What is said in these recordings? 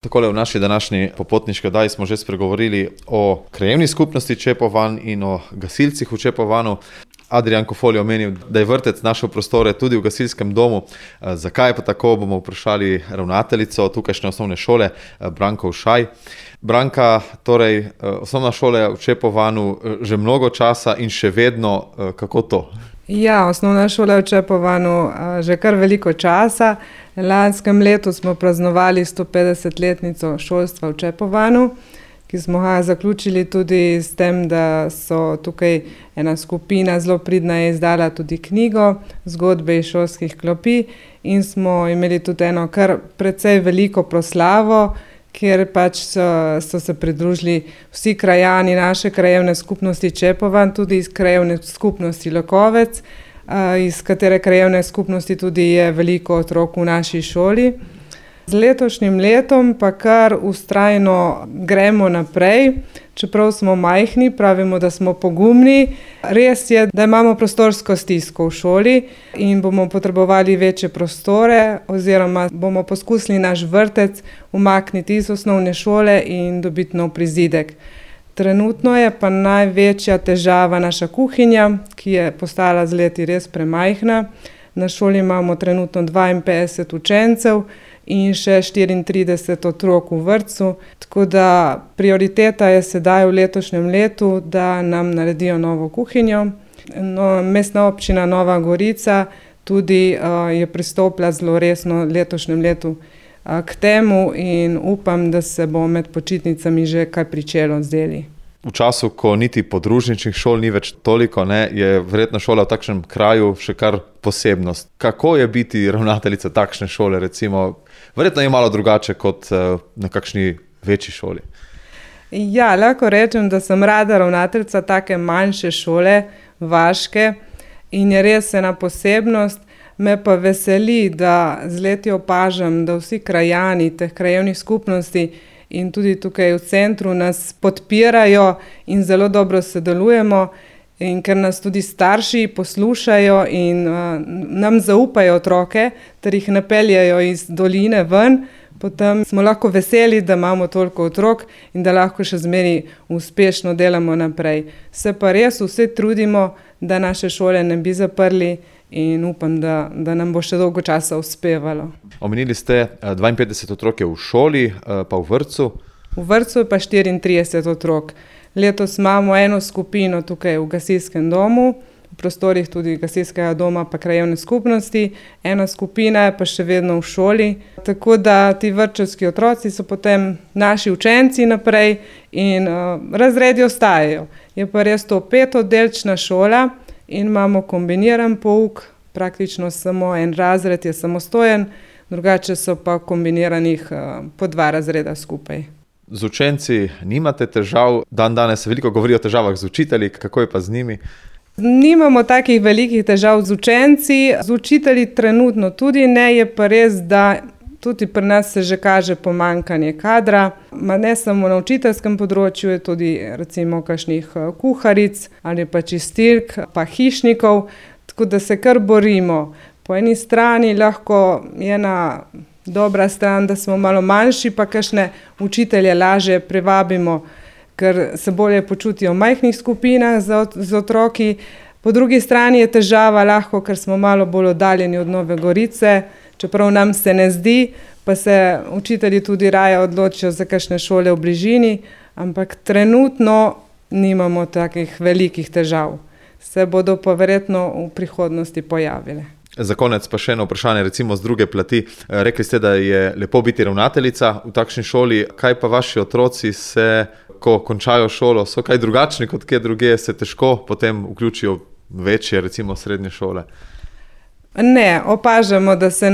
Takole v naši današnji popotniški oddaji smo že spregovorili o krajevni skupnosti Čepovan in o gasilcih v Čepovanu. Adrijan Kofol je omenil, da je vrtec našel prostore tudi v gasilskem domu. Zakaj je pa tako, bomo vprašali ravnateljico tukajšnje osnovne šole, Branko Ušaj. Branka, torej osnovna šola je v Čepovanu že mnogo časa in še vedno, kako to? Ja, osnovna šola je v Čepovanu že kar veliko časa. Lanskem letu smo praznovali 150-letnico šolstva v Čepovanu, ki smo ga zaključili tudi s tem, da so tukaj ena skupina zelo pridna je izdala tudi knjigo Zgodbe iz šolskih klopi in smo imeli tudi eno kar precej veliko proslavo, kjer pač so se pridružili vsi krajani naše krajevne skupnosti Čepovan, tudi iz krajevne skupnosti Lokovec, iz katere krajevne skupnosti tudi je veliko otrok v naši šoli. Z letošnjim letom pa kar vztrajno gremo naprej, čeprav smo majhni, pravimo, da smo pogumni. Res je, da imamo prostorsko stisko v šoli in bomo potrebovali večje prostore oziroma bomo poskusili naš vrtec umakniti iz osnovne šole in dobiti nov prizidek. Trenutno je pa največja težava naša kuhinja, ki je postala z leti res premajhna. Na šoli imamo trenutno 52 učencev in še 34 otrok v vrtcu, tako da prioriteta je sedaj v letošnjem letu, da nam naredijo novo kuhinjo. Mestna občina Nova Gorica tudi je pristopila zelo resno letošnjem letu k temu in upam, da se bo med počitnicami že kaj pričelo z deli. V času, ko niti podružničnih šol ni več toliko, je verjetno šola v takšnem kraju še kar posebnost. Kako je biti ravnateljica takšne šole, recimo? Verjetno je malo drugače kot na kakšni večji šoli. Ja, lahko rečem, da sem rada ravnateljica take manjše šole, vaške, in je res ena posebnost. Me pa veseli, da z leti opažam, da vsi krajani teh krajevnih skupnosti in tudi tukaj v centru nas podpirajo in zelo dobro sodelujemo, in ker nas tudi starši poslušajo in nam zaupajo otroke, ter jih napeljajo iz doline ven, potem smo lahko veseli, da imamo toliko otrok in da lahko še zmeraj uspešno delamo naprej. Se pa res vse trudimo, da naše šole ne bi zaprli in upam, da nam bo še dolgo časa uspevalo. Omenili ste 52 otrok je v šoli, pa v vrtcu? V vrtcu je pa 34 otrok. Letos imamo eno skupino tukaj v gasilskem domu, v prostorih tudi gasilskega doma pa krajevne skupnosti, ena skupina je pa še vedno v šoli, tako da ti vrtčevski otroci so potem naši učenci naprej in razredi ostajajo. Je pa res to 5-oddelčna šola in imamo kombiniran pouk, praktično samo en razred je samostojen, drugače so pa kombiniranih po 2 razreda skupaj. Z učenci nimate težav, danes se veliko govori o težavah z učitelji, kako je pa z njimi? Nimamo takih velikih težav z učenci, z učitelji trenutno tudi ne, je pa res, da tudi pri nas se že kaže pomanjkanje kadra, ne samo na učiteljskem področju, je tudi recimo kakšnih kuharic ali pa čistilk, pa hišnikov, tako da se kar borimo. Po eni strani lahko je ena dobra stran, da smo malo manjši, pa kakšne učitelje lažje privabimo, ker se bolje počutijo v majhnih skupinah z otroki. Po drugi strani je težava lahko, ker smo malo bolj oddaljeni od Nove Gorice, čeprav nam se ne zdi, pa se učitelji tudi raje odločijo za kakšne šole v bližini, ampak trenutno nimamo takih velikih težav. Se bodo pa verjetno v prihodnosti pojavile. Za konec pa še eno vprašanje, recimo z druge plati. Rekli ste, da je lepo biti ravnateljica v takšni šoli. Kaj pa vaši otroci se, ko končajo šolo, so kaj drugačni kot kje druge, se težko potem vključijo v večje, recimo srednje šole? Ne, opažamo, da se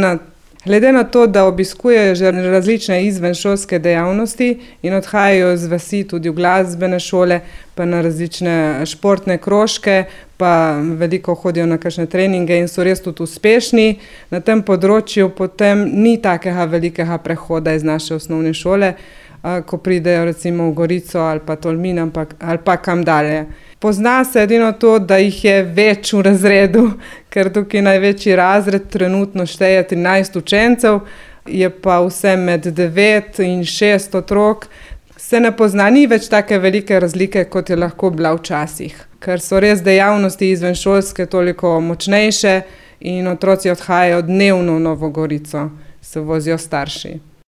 glede na to, da obiskujejo že različne izvenšolske dejavnosti in odhajajo z vasi tudi v glasbene šole, pa na različne športne krožke, pa veliko hodijo na kakšne treninge in so res tudi uspešni. Na tem področju potem ni takega velikega prehoda iz naše osnovne šole, ko pridejo recimo v Gorico ali pa Tolmin ali pa kam dalje. Pozna se edino to, da jih je več v razredu, ker tukaj največji razred trenutno šteje 13 učencev, je pa vse med 9 in 6 otrok. Se ne pozna, ni več take velike razlike, kot je lahko bila včasih, ker so res dejavnosti izvenšolske toliko močnejše in otroci odhajajo dnevno v Novo Gorico, se vozijo starši.